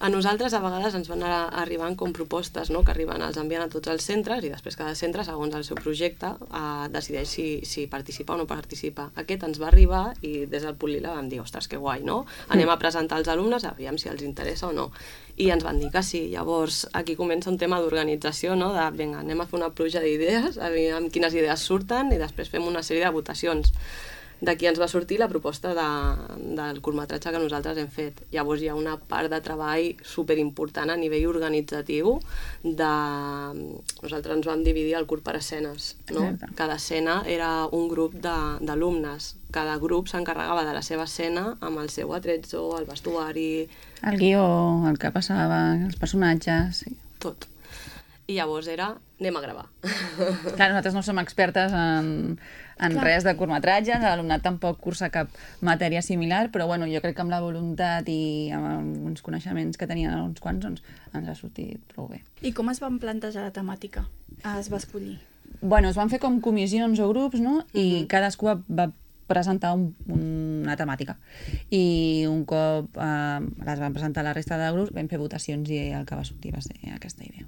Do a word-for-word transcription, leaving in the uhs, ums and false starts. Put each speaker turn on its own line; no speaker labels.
A nosaltres a vegades ens van a- arribant com propostes, no?, que arriben, els envien a tots els centres i després cada centre, segons el seu projecte, eh, decideix si, si participa o no participa. Aquest ens va arribar i des del Punt-Lila vam dir, ostres, que guai, no? Anem a presentar als alumnes, aviam si els interessa o no. I ens van dir que sí. Llavors, aquí comença un tema d'organització, no?, de, vinga, anem a fer una pluja d'idees, aviam quines idees surten i després fem una sèrie de votacions. D'aquí ens va sortir la proposta de, del curtmetratge que nosaltres hem fet. Llavors hi ha una part de treball superimportant a nivell organitzatiu de... Nosaltres ens vam dividir el curt per escenes, no?
Exacte.
Cada escena era un grup de- d'alumnes. Cada grup s'encarregava de la seva escena amb el seu atrezo, el vestuari...
El guió, el que passava, els personatges... Sí.
Tot. I llavors era, anem a gravar.
Clar, nosaltres no som expertes en, en res de curtmetratges, l'alumnat tampoc cursa cap matèria similar, però bueno, jo crec que amb la voluntat i amb uns coneixements que tenien uns quants, doncs ens ha sortit prou bé.
I com es van plantejar la temàtica? Es va escollir?
Bueno, es van fer com comissions o grups, no? I
Mhm.
cadascú va, va presentar un, una temàtica. I un cop eh, les van presentar la resta de grups, vam fer votacions i el que va sortir va ser aquesta idea.